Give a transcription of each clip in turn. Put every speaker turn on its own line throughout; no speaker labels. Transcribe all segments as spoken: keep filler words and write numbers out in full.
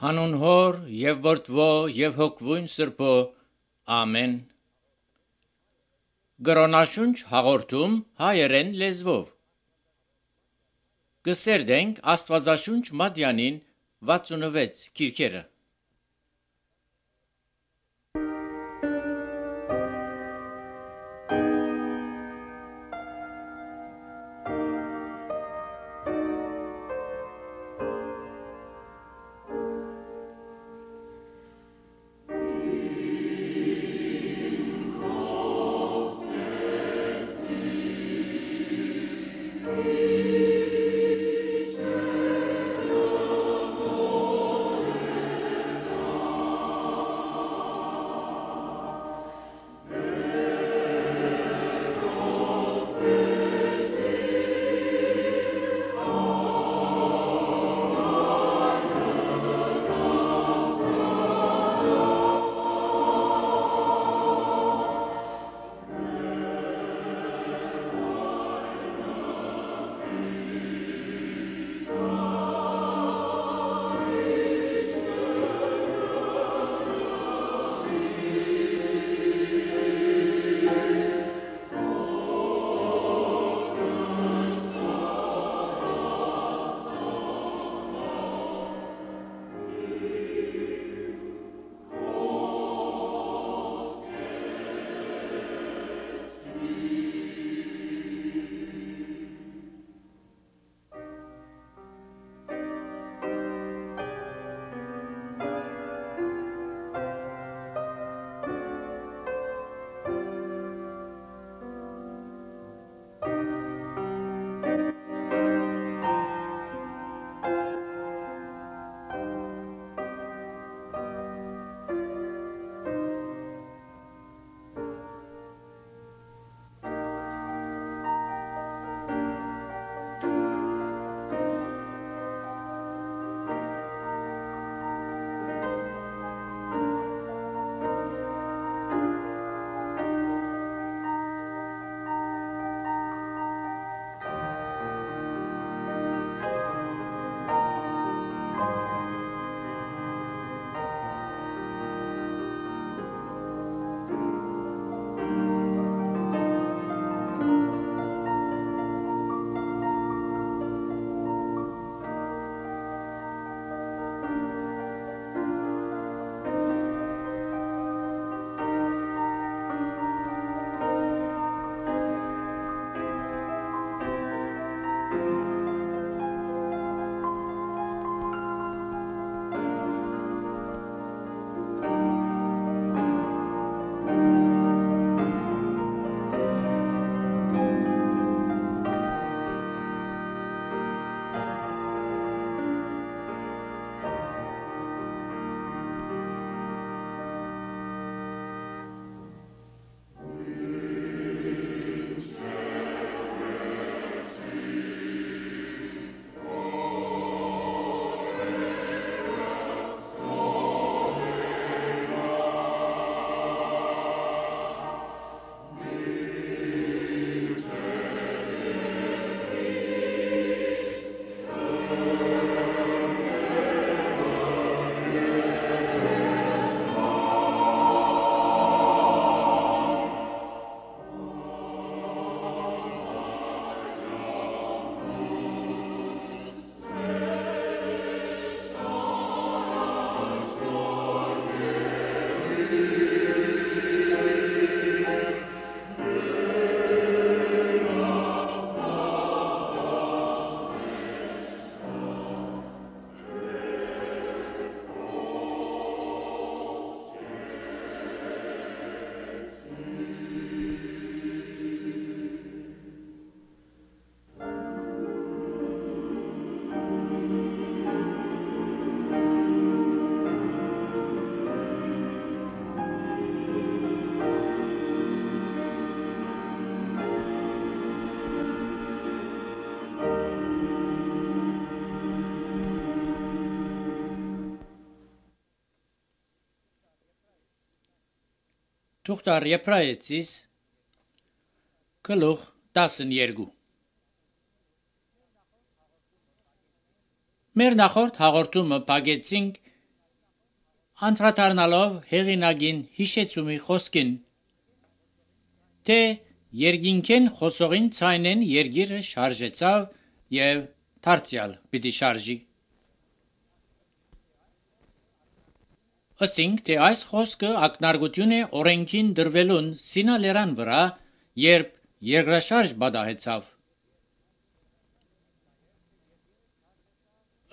Հանուն Հոր եւ Որդվո եւ Հոգվույն Սրբո ամեն։ Գրոնաշունչ հաղորդում հայերեն լեզվով։ Կսերդենք Աստվածաշունչ Մատյանին վաթսունվեց քիրքերը։ Թուղթար Եբրայեցիս գլուխ տասներկու։ Մեր նախորդ հաղորդումը փակեցինք անդրադառնալով հեղինակին հիշեցումի խոսքին, թե երկինքեն խոսողին ցայնեն երգիրը շարժեցավ եւ դարձյալ պիտի շարժի։ Ասինք, թե այս խոսքը ակնարկություն է օրենքին դրվելուն Սինալերան վրա, երբ երկրաշարժ բադահեցավ։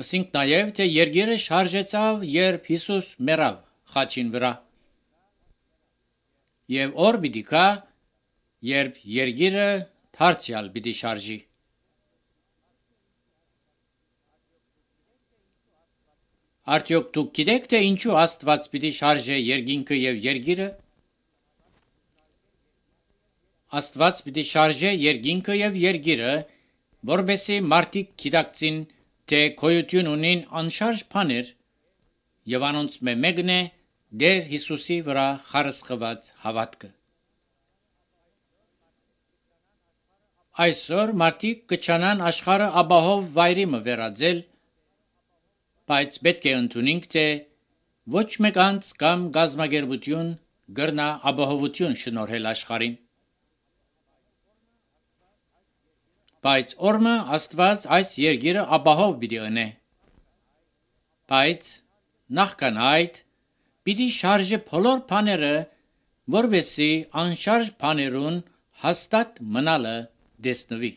Ասինք նաև, թե երգիրը շարժեցավ, երբ Հիսուս մեռավ խաչին վրա։ Եվ օր պիտի գա, երբ երգիրը դարձյալ պիտի շարժի։ Արդյոք դուք գիտեք, թե ինչու Աստված պիտի շարժե երկինքը եւ երգիրը։ Աստված պիտի շարժե երկինքը եւ երգիրը, որովհետեւ մարդիկ գիտակցին, թե գոյություն ունին անշարժ բաներ, եւ անոնց մեկն է Տեր Հիսուսի վրա խարսխված հավատքը։ Այսօր մարդիկ կչանան աշխարհը ապահով վայրի մը վերածել, բայց պետք է ընդունենք, թե ոչ մեկ անձ կամ գազམ་ագերբություն գրնա ապահովություն շնորհել աշխարհին։ Բայց օրմը Աստված այս երգիրը ապահով պիտի ընե։ Բայց նախքան այդ պիտի շարժե բոլոր բաները, որովհետեւ անշարժ բաներուն հաստատ մնալը դեսնվի։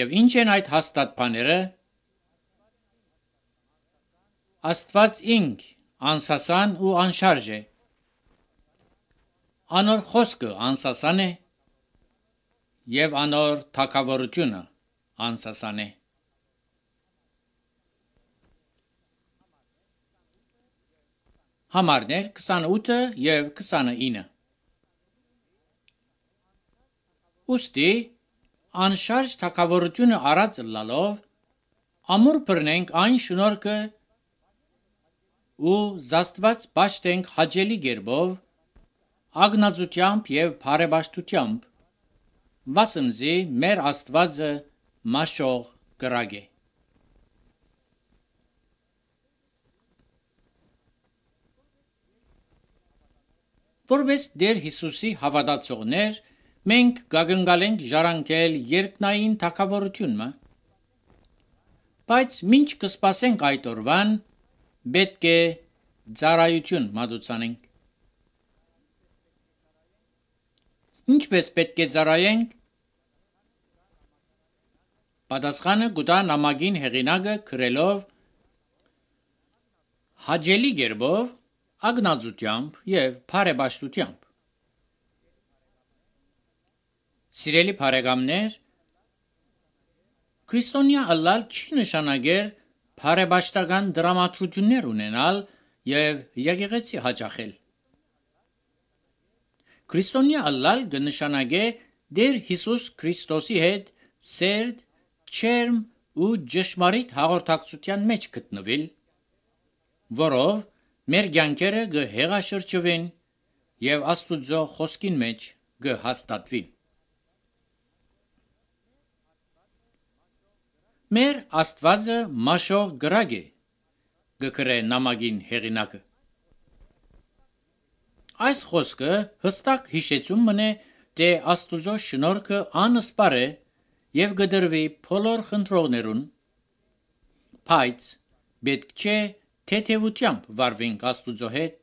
Եվ ինչ են այդ հաստատ բաները։ Աստված ինք անսասան ու անշարժ է։ Անոր խոսքը անսասան է եւ անոր թագավորությունը անսասան է։ Համարներ քսանութը եւ քսանինը։ Ոստի անշարժ թագավորությունը առած լալով ամուր բռնենք այն շնորհքը ու զաստված պաշտենք հաջելի գերբով, ագնացությամբ եւ բարեպաշտությամբ, վասնզի մեր Աստվածը մաշող կրակ է։ Որպես Տեր Հիսուսի հավատացողներ, մենք գագնգալենք ժառանգել երկնային թագավորությունը, բայց մինչ կսպասենք այդ օրվան, պետք է ծառայություն մատուցանենք։ Ինչպես պետք է ծառայենք։ Պատասխանը գուտա նամակին հեղինակը գրելով հաջելի գերբով, ագնացությամբ եւ բարեպաշտությամբ։ Սիրելի բարեկամներ, քրիստոնյա ըլլալ չի նշանակեր բարեպաշտական դրամատրություններ ունենալ եւ եկեղեցի հաճախել։ Քրիստոնյա ըլլալ կնշանակե Տեր Հիսուս Քրիստոսի հետ սերտ, չերմ ու ճշմարիտ հաղորդակցության մեջ գտնվել, որով մեր կյանքերը կհեղաշրջվեն եւ Աստուծո խոսքին մեջ կհաստատվին։ Մեր Աստվածը մաշող գրակ է, գկրե նամակին հեղինակը։ Այս խոսքը հստակ հիշեցում մնե, թե Աստուծո շնորհքը անսպար է եւ կդրվի բոլոր խնդրողներուն, բայց պետք չէ թեթևությամբ վարվենք Աստուծո հետ,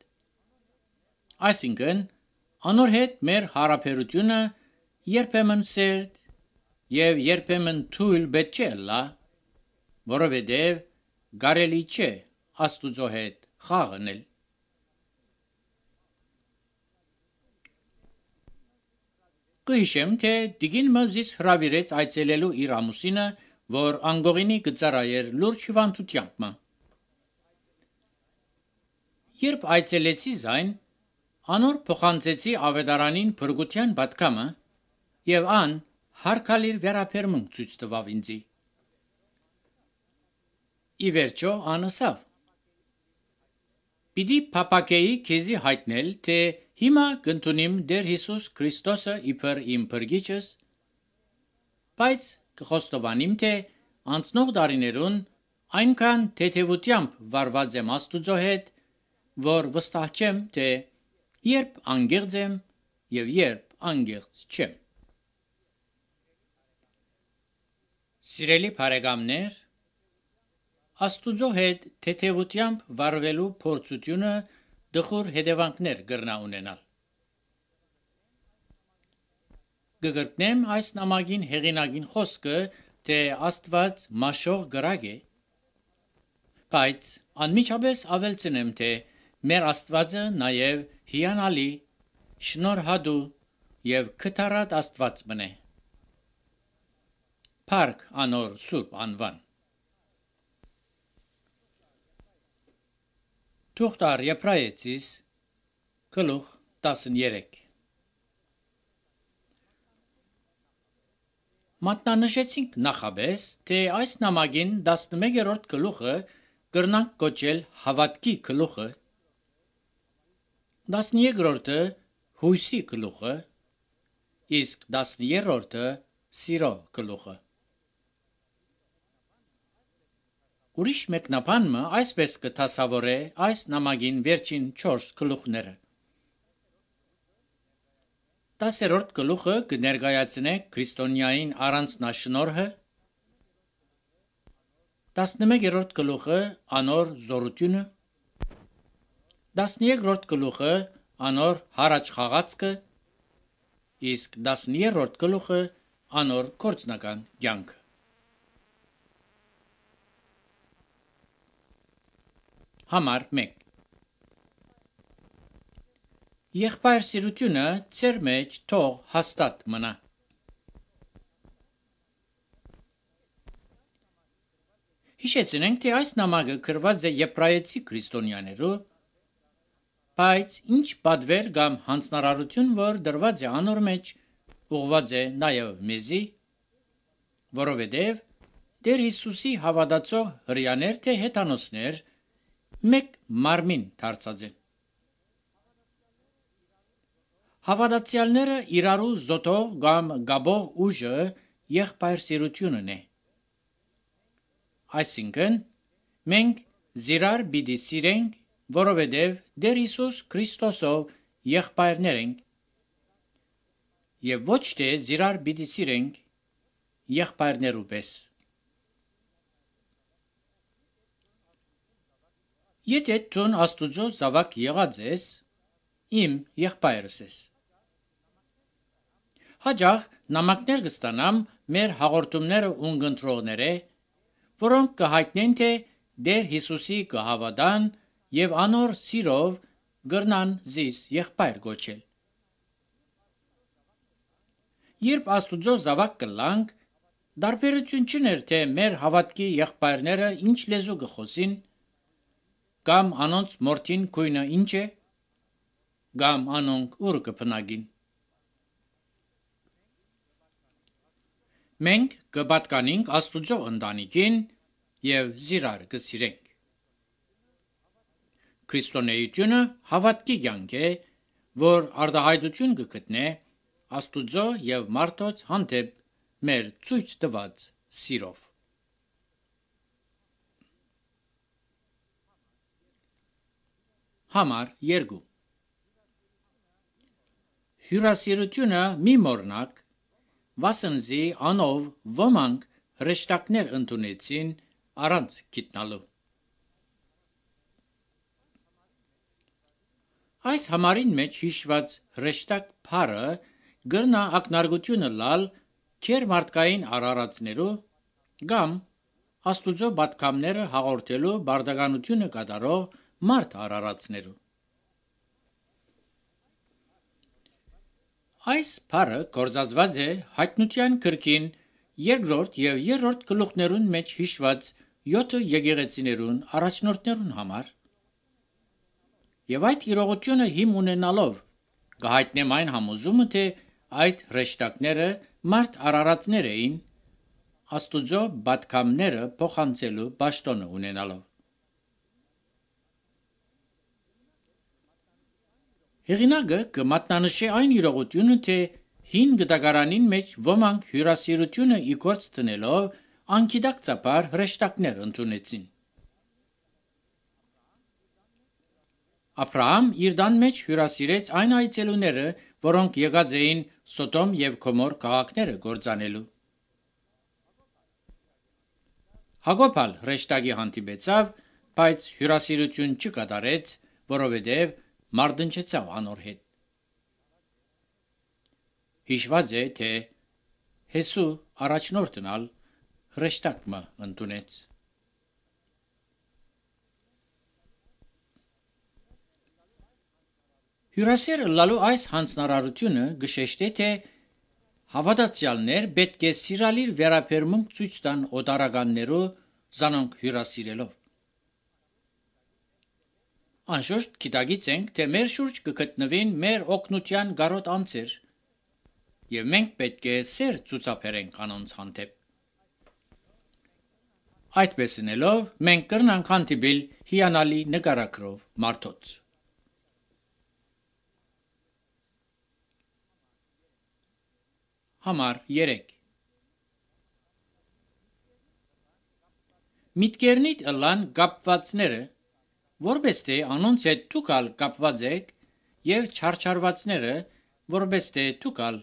այսինքն անոր հետ մեր հարաբերությունը երբեմն սերտ եւ երբեմն թույլ պետք չէ լա, որովհետեւ կարելի չէ Աստուծո հետ խաղանել։ Կհիշեմ, թե Տիկին մզիս հրավիրեց այցելելու իր ամուսինը, որ անգողինի կծառայեր լուրջ հիվանդությամբ։ Երբ այցելեցի զայն, անոր փոխանցեցի ավետարանին փրկության պատգամը եւ ան հարկալիր վերաբերմունք ցույց տվավ ինձի։ Ի վերջո անասավ. Պիտի փապակեի քեզի հայտնել, թե հիմա կընդունիմ Տեր Հիսուս Քրիստոսը իբր իմ փրկիչս, բայց կխոստովանիմ, թե անցնող տարիներուն Այնքան թեթևությամբ վարված եմ Աստուծո հետ, որ վստահ չեմ, թե երբ անգեղծ եմ եւ երբ անգեղծ չեմ։ Սիրելի բարեկամներ, Աստուծո հետ թեթևությամբ վարվելու փորձությունը դխուր հետևանքներ կրնա ունենալ։ Գգրտնեմ այս նամակին հեղինակին խոսքը, թե Աստված մաշող գրագ է, բայց անմիջապես ավելցնեմ, թե մեր Աստվածը նաև հիանալի, շնորհադու եւ քթառատ Աստված մնե։ Փառք անոր սուրբ անվան։ Թուղթար Եբրայեցիս գլուխ տասներեք։ Մատնանշեցինք նախաբես, թե այս նամակին տասնմեկերորդ գլուխը կրնանք կոչել հավատքի գլուխը, տասներկրորդը հույսի գլուխը, իսկ տասներորդը սիրո գլուխը։ Ուրիշ մեկնաբանը այսպես կդասավորե այս նամակին վերջին չորս գլուխները։ Տասերորդ գլուխը կներկայացնե քրիստոնյային առանձնաշնորհը, տասնմեկերորդ գլուխը անոր զորությունը, տասներկրորդ գլուխը անոր հարաճ խաղացքը, իսկ տասներորդ գլուխը անոր գործնական կյանքը։ Համար մեկ Եղբայր սիրությունը ծեր մեջ թող հաստատ մնա։ Հիշեցնենք, թե այս նամակը գրված է եբրայեցի քրիստոնյաներու, բայց ինչ պատվեր կամ հանձնարարություն, որ դրված է անոր մեջ, ուղված է նաև մեզի, որովհետև Տեր Հիսուսի հավատացող հրեաներ թե հեթանոսներ մեկ մարմին դարձած են։ Հավատացյալները իրարու զոթող կամ գաբող ուժը եղբայր սիրությունն է։ Այսինքն, մենք զիրար պիտի սիրենք, որովհետև Տեր Հիսուս Քրիստոսով եղբայրներ ենք, եւ ոչ թե զիրար պիտի սիրենք եղբայրներու պես։ Եթե դու Աստուծո զավակ եղած ես, իմ եղբայրս ես։ Հաջող նամակներ կստանամ մեր հաղորդումները ունգընտրողները, որոնք կհայտնեն, թե Տեր Հիսուսի կհավատան եւ անոր սիրով գրնան զիս եղբայր գոչել։ Երբ Աստուծո զավակ կլանք, դարբերություն չուներ, թե մեր հավատքի եղբայրները ինչ լեզու կխոսին, կամ անոնց մորթին քույնը ինչ է, կամ անոնք ուր կփնագին։ Մենք կպատկանենք Աստուծո ընտանիքին եւ զիրար կսիրենք։ Քրիստոնեությունը հավատքի կյանք է, որ արտահայտություն կգտնե Աստուծո եւ մարդոց հանդեպ մեր ցույց տված սիրով։ Համար երկու Հյուրասիրությունը մի մորնակ, վասնզի անով ոմանք հրեշտակներ ընդունեցին առանց գիտնալու։ Այս համարին մեջ հիշված հրեշտակ փառը գրնա ակնարկությունը լալ քեր մարդկային արարածներու կամ Աստուծո պատգամները հաղորդելու բարդականությունը կատարող մարդ արարածներու։ Այս փառը գործածված է հայտնության գրքին երկրորդ եւ երրորդ գլուխներուն մեջ հիշված յոթ եկեղեցիներուն առաջնորդներուն համար։ Եվ այդ իրողությունը հիմ ունենալով կհայտնեմ այն համոզումը, թե այդ հրեշտակները մարդ արարածներ էին, Աստուծո պատգամները փոխանցելու պաշտոնը ունենալով։ Հեղինակը կմատնանշի այն իրողությունը, թե հին գտակարանին մեջ ոմանք հյուրասիրությունը իգործ տնելով անկիդակցաբար հրեշտակներ ընդունեցին։ Աբրահամ իր դան մեջ հյուրասիրեց այն այցելուները, որոնք եկած էին Սոդոմ և Գոմոր քաղաքները կործանելու։ Հակոբալ հրեշտակի հանդիպեցավ, բայց հյուրասիրություն չկատարեց, որովհետև մարտնչեցավ անոր հետ։ Հիշված է, թե Հեսու առաջնորդն ալ հրեշտակը ընդունեց։ Հյուրասեր լալու այս հանձնարարությունը գշեշտ է, թե հավատացյալներ պետք է սիրալիր վերաբերմունք ցույց տան օտարականներու զանոնք հյուրասիրելով։ Անշուշտ գիտակցենք, թե մեր շուրջ կգտնվին մեր օգնության գարոտ անձեր, եւ մենք պետք է սեր ցուցաբերենք անոնց հանդեպ։ Այդպես անելով, մենք կրնանք հանդիպել հիանալի նկարագրով մարդոց։ Համար երեք Միտքերնիդ ըլլան կապվածները, որպես թե անոնց հետ դուք ալ կապված եք, եւ չարչարվածները, որպես թե դուք ալ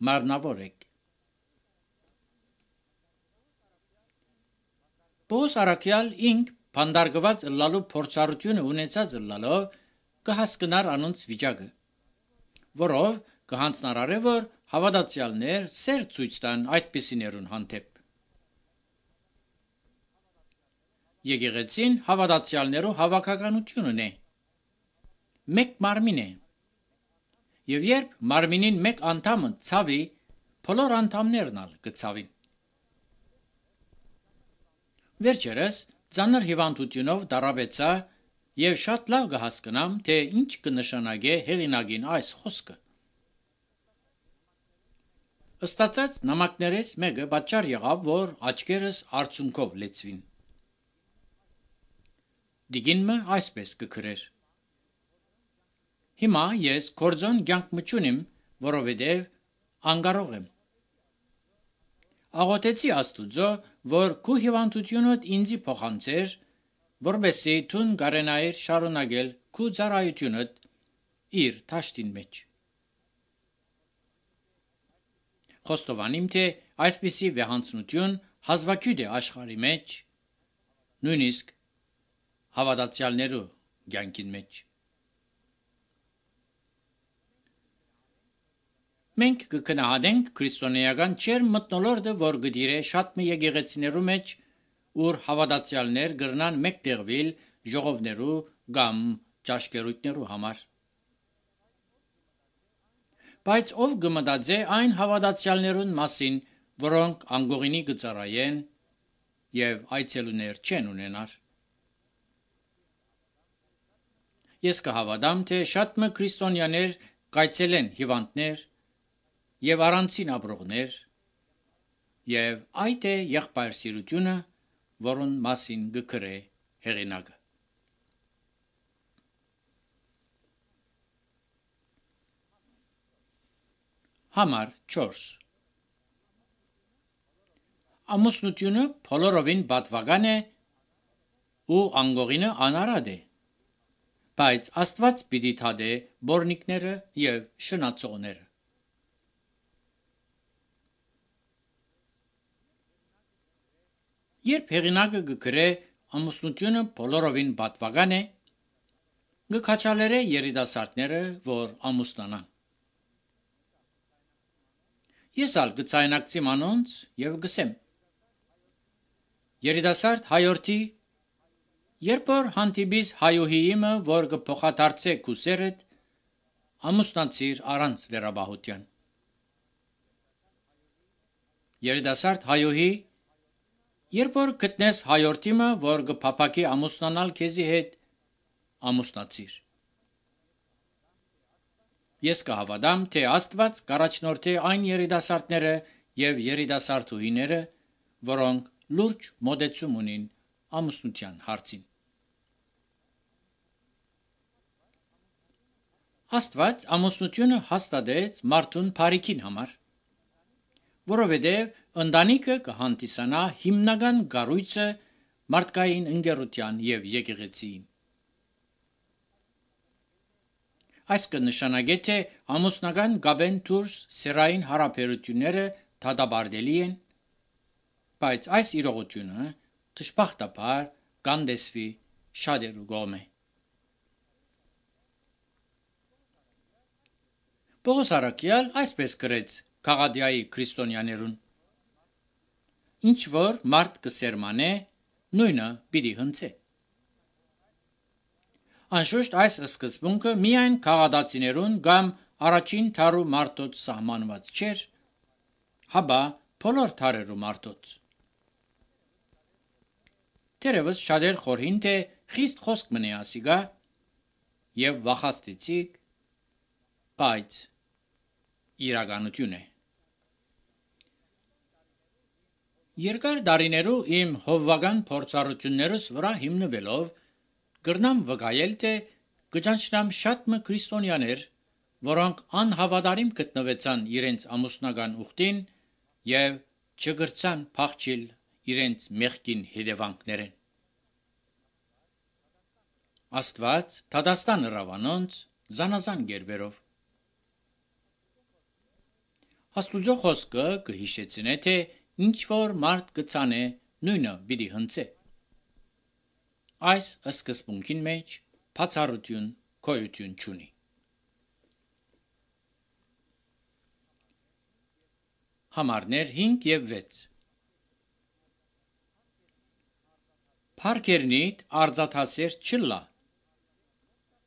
մարմնավոր եք։ Պողոս առաքյալ ինք փանդարգված ըլլալու փորձառությունը ունեցած ըլլալով կհասկնար անոնց վիճակը, որով կհանձնարարե, որ հավատացյալներ սեր ցույց տան այդպիսիներուն հանդեպ։ Եկեղեցին հավատացյալներու հավաքականությունն է։ Մեկ մարմին է։ Եվ երբ մարմինին մեկ անդամը ցավի, բոլոր անդամներն ալ կցավին։ Վերջերս ծանր հիվանդությունով դարաբեցա եւ շատ լավ կհասկնամ, թե ինչ կնշանակե հեղինակին այս խոսքը։ Ստացած նամակներես մեկը պատճառ եղավ, որ աչքերս արցունքով լեցվին։ Դիգինը այսպես կգրեր. Հիմա ես կորձոն կյանք մչունիմ, որովհետև անկարող եմ։ Աղոթեցի Աստուծո, որ քու հիվանդությունդ ինձի փոխանցեր, որբեսի թուն կարենայր շարունակել քու ծառայությունդ իր դաշտին մեջ։ Խոստովանիմ, թե այսպիսի վեհանցնություն հազվագյուտ է աշխարհի մեջ, նույնիսկ հավատացյալներու կյանքին մեջ։ Մենք կգնահատենք քրիստոնեական չեր մթնոլորտը, որ գդիրե շատ մի եկեղեցիներու մեջ, ուր հավատացյալներ գրնան մեկտեղվել ժողովներու կամ ճաշկերույթներու համար։ Բայց ով կմտածե այն հավատացյալներուն մասին, որոնք անգողինի կծառայեն եւ այցելուներ չեն ունենար։ Ես կհավատամ, թե շատ մը քրիստոնյաներ կայցելեն հիվանդներ եւ առանցին ապրողներ, եւ այդ է եղբայրսիրությունը, որուն մասին գկրե հեղինակը։ Համար չորս Ամուսնությունը բոլորովին պատվական է ու անգողինը անարատ է, բայց Աստված պիտի թադե բորնիկները եւ շնացողները։ Երբ հեղինակը գկրե ամուսնությունը բոլորովին պատվական է, գքաչալերե երիտասարդները, որ ամուսնանան։ Ես ալ գցայնակցիմ անոնց եւ գսեմ. Երիտասարդ հայորդի, երբ որ հանդիպիս հայուհիիմը, որ կփոխադարձե քուսերդ, ամուսնացիր առանց վերաբահության։ Երիտասարդ հայուհի, երբ որ գտնես հայորդիմը, որ կփափակի ամուսնանալ քեզի հետ, ամուսնացիր։ Ես կհավատամ, թե Աստված կառաջնորդի այն երիտասարդները եւ երիտասարդուհիները, որոնք լուրջ մոտեցում ունին ամուսնության հարցին։ Աստված ամուսնությունը հաստատեց մարդուն բարիքին համար, որովհետև Ընտանիքը կհանդիսանա հիմնական կառույցը մարդկային ընկերության և եկեղեցիին։ Այս կնշանակի, թե ամուսնական կապեն դուրս սեռային հարաբերությունները դատապարտելի են, բայց այս իրողությունը դժբախտաբար կանտեսվի շատերու կողմէ։ Պողոս առաքյալ այսպես գրեց Գաղատիայի քրիստոնյաներուն. «Ինչ որ մարդ կսերմանե, նույնը պիտի հնձե»։ Անշուշտ այս սկզբունքը միայն քաղատացիներուն կամ առաջին դարու մարդոց սահմանված չէր, հապա բոլոր դարերու մարդոց։ Թերևս շատեր խորհին, թե խիստ խոսք մնե ասիկա եւ վախաստեցիկ, բայց իրականություն է։ Երկար տարիներու իմ հովվական փորձառություններս վրա հիմնվելով կրնամ վկայել, թե կճանչնամ շատ մը քրիստոնյաներ, որոնք անհավատարիմ գտնվեցան իրենց ամուսնական ուխտին եւ չգրցան փախչիլ իրենց մեղքին հետևանքներեն։ Աստված դատաստան հրավանոնց զանազան գերբերով։ Աստուծո խոսքը կհիշեցնե, թե ինչ որ մարդ կցանե, նույնը պիտի հնձե։ Այս սկզբունքին մեջ բացառություն գոյություն չունի։ Համարներ հինգ եւ վեց Փարքերնիդ արծաթասեր չլա։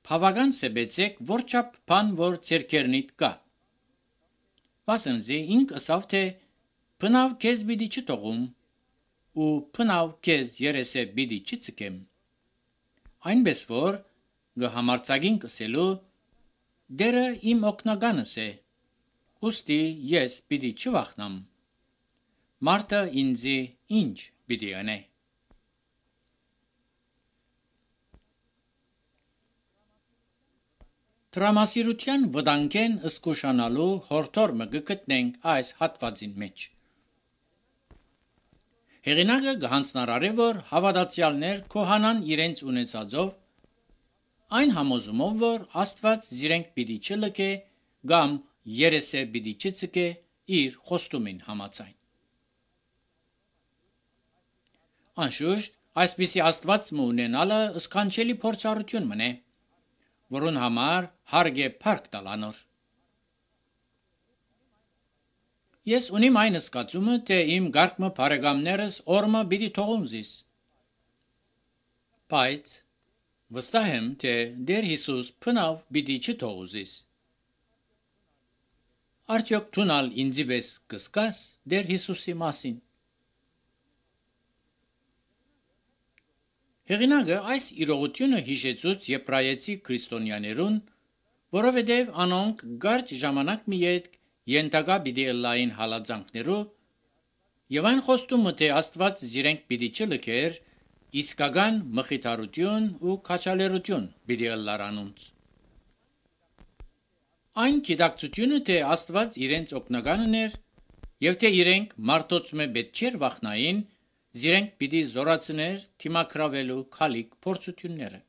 Բավական սեբեցեք որչապ բան որ ձերքերնիդ կա։ Վասնզի ինք ասավ, թե բնավ քեզ պիտի չթողում ու բնավ քեզ երեսե պիտի չցկեմ։ Այնպես որ գհամարցագին կսելու դերը իմ օգնականս է, ուստի ես պիտի չվախնամ։ Մարդը ինձի ինչ պիտի անե։ Տրամասիրության վտանգեն սկուշանալու հորդորմը կգտնենք այս հատվածին մեջ։ Հեղինակը կհանձնարարի, որ հավատացյալներ կոհանան իրենց ունեցածով, այն համոզումով, որ Աստված զիրենք պիտի չլքե կամ երեսե պիտի չցկե իր խոստումին համաձայն։ Անշուշտ, այսպիսի Աստվածը ունենալը սքանչելի փորձառություն մնե, որուն համար հարկ է փառք տալ անոր։ Ես ունիմ այն զգացումը, թե իմ գարկմը բարեկամներս օրմը պիտի թողում զիս։ Բայց վստահ եմ, թե Տեր Հիսուս բնավ պիտի չթողու զիս։ Արդյոք դունալ ինձի պես կսկաս Տեր Հիսուսի մասին։ Հեղինակը այս իրողությունը հիշեցուց եբրայեցի քրիստոնյաներուն, որովհետև անոնք կարճ ժամանակ մի ետք ենթակա պիտի ըլլային հալածանքներու եւ այն խոստումը, թե Աստված զիրենք պիտի չլքեր, իսկական մխիթարություն ու քաջալերություն պիտի ըլլար անոնց։ Այն գիտակցությունը, թե Աստված իրենց օգնականն էր եւ թե իրենք մարդոց մե պետք չէր վախնային, զիրենք պիտի զորացներ թիմակրավելու քալիք փորձությունները։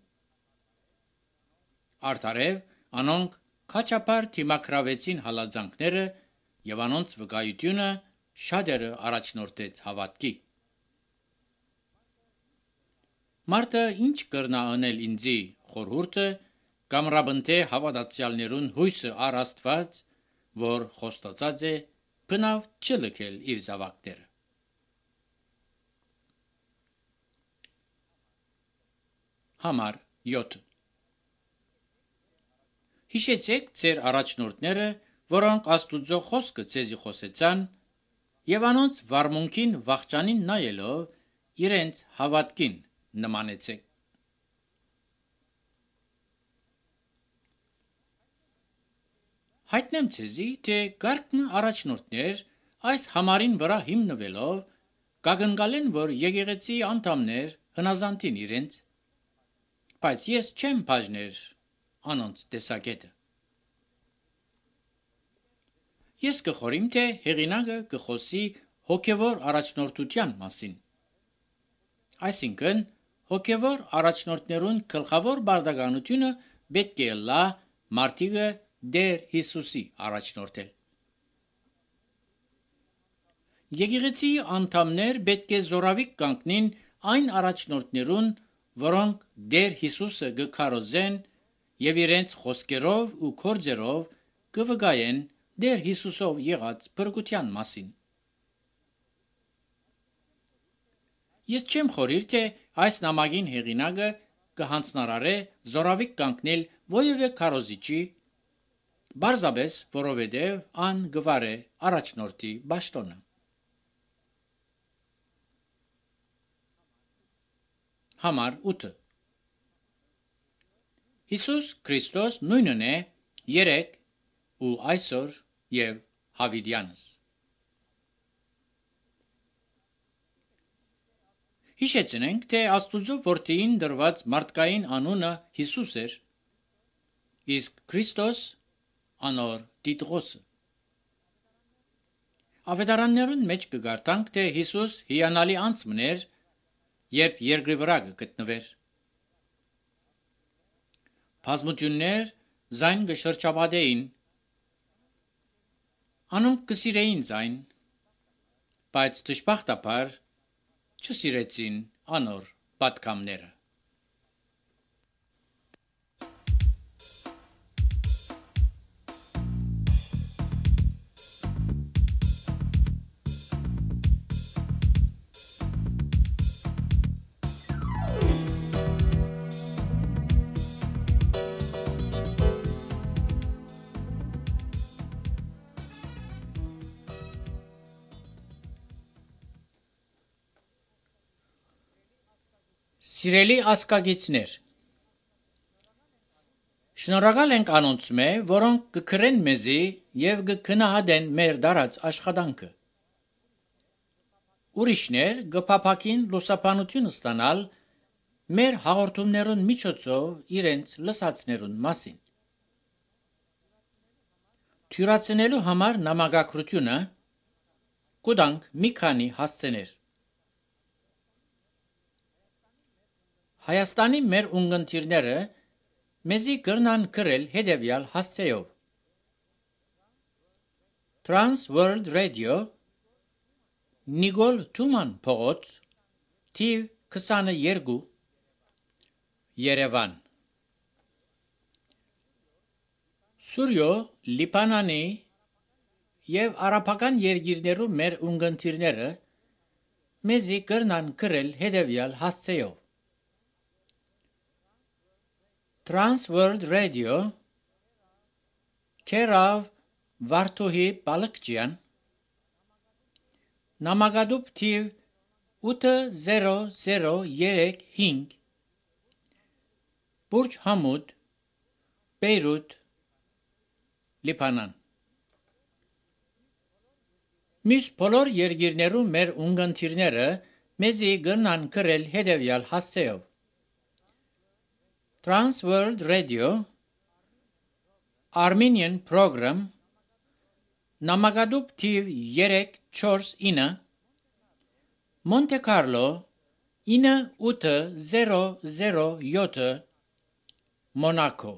Արդարև անոնք քաջապար թիմակրավեցին հալածանքները եւ անոնց վկայությունը շատերը առաջնորդեց հավատքի։ Մարդը ինչ կրնա անել ինձի խորհուրդը կամ ռաբընթե հավատացյալներուն հույսը առ Աստված, որ խոստացած է բնավ չլքել իր զավակները։ Համար յոթ Հիշեցեք ձեր առաջնորդները, որոնք Աստուծո խոսքը ցեզի խոսեցան, եւ անոնց վարմունքին վախճանին նայելով իրենց հավատքին նմանեցեք։ Հայտնեմ ցեզի, թե կարգն առաջնորդներ այս համարին վրա հիմնվելով կակնկալեն, որ եկեղեցի անդամներ հնազանդին իրենց, բայց ես չեմ բաժներ անոնց տեսակետը։ Ես կխորիմ, թե հեղինակը կխոսի հոգևոր առաջնորդության մասին։ Այսինքն, հոգևոր առաջնորդներուն գլխավոր բարդականությունը պետք է լա մարդիկը Տեր Հիսուսի առաջնորդել։ Եկեղեցի անդամներ պետք է զորավիկ կանգնին այն առաջնորդներուն, որոնք Տեր Հիսուսը գկարոզեն եւ իրենց խոսքերով ու գործերով կվկայեն Տեր Հիսուսով եղած բրգության մասին։ Ես չեմ խորիր, թե այս նամակին հեղինակը կհանձնարարե զորավիկ կանգնել ովևէ քարոզիչի, բարձաբես, որովհետև ան գվարե առաջնորդի պաշտոնը։ Համար ութ Հիսուս Քրիստոս նույնն է երեք ու այսօր եւ հավիտյանս։ Հիշեցնենք, թե Աստուծո որդին դրված մարդկային անունը Հիսուս էր, իսկ Քրիստոս անոր Տիտղոսը։ Ավետարաններուն մեջ կգարտանք, թե Հիսուս հիանալի անձն էր, երբ երկրի վրա գտնվեր։ Բազմություններ զայն կշրջապատեին, անոնք կսիրեին զայն, բայց դժբախտաբար չսիրեցին անոր պատգամները։ Սիրելի ասկագիցներ, շնորհակալ ենք անոնց մե, որոնք կգրեն մեզի եւ կգնահատեն մեր դարած աշխատանքը։ Ուրիշներ կփափակին լուսաբանություն ստանալ մեր հաղորդումներուն միջոցով իրենց լսածներուն մասին։ Թյուրացնելու համար նամակագրությունը կուտանք մի քանի հասցեներ։ Հայաստանի մեր ունգընտիրները մեզի կրնան գրել հետևյալ հասցեով. Trans World Radio, Նիկոլ Թուման փողոց, թիվ քսաներկու, Երևան։ Սուրյո, Լիբանանի եւ արաբական երկիրներու մեր ունգընտիրները մեզի կրնան գրել հետևյալ հասցեով. Trans World Radio, Kerav Վարդուհի Բալկջյան, Նամակադուբ թիվ ութ զերո զերո երեք հինգ, Բուրջ Համուդ, Բեյրութ, Լիբանան։ Մյուս բոլոր երկիրներու մեր ունգընտիրները մեզի կրնան գրել հետևյալ հասցեով. Trans World Radio, Armenian Program, Նամակադուբ թիվ երեք չորս ինը, Monte Carlo ինը ութ զերո զերո յոթ, Մոնակո։